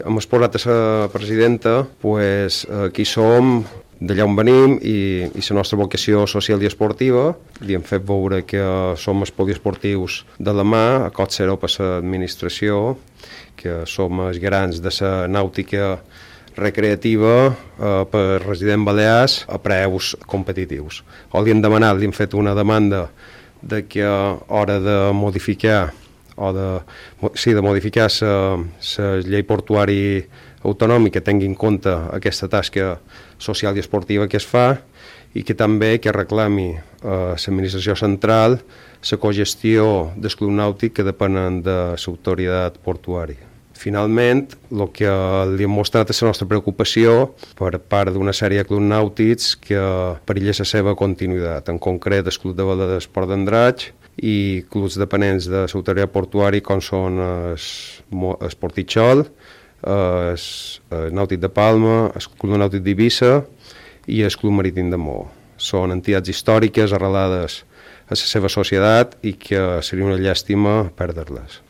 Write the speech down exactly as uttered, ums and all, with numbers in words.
Hem exposat a la presidenta pues, qui som, d'allà on venim i, i la nostra vocació social i esportiva. Li hem fet veure que som els poliesportius de la mà, a cost zero per l'administració, que som els garants de la nàutica recreativa eh, per resident balears a preus competitius. O li hem demanat, li hem fet una demanda de que a hora de modificar o de, sí, de modificar la llei portuari autonòmica tingui en compte aquesta tasca social i esportiva que es fa i que també que reclami a l'administració central la cogestió del club nàutic que depenen de l'autoritat portuària. Finalment, el que li hem mostrat és la nostra preocupació per part d'una sèrie de clubs nàutics que perilla la seva continuïtat, en concret el Club de Vela d'Esport d'Andratx i clubs dependents de l'autoritat portuària com són el Portitxol, el Nàutic de Palma, el Club Nàutic d'Eivissa i el Club Marítim de Maó. Són entitats històriques arrelades a la seva societat i que seria una llàstima perdre-les.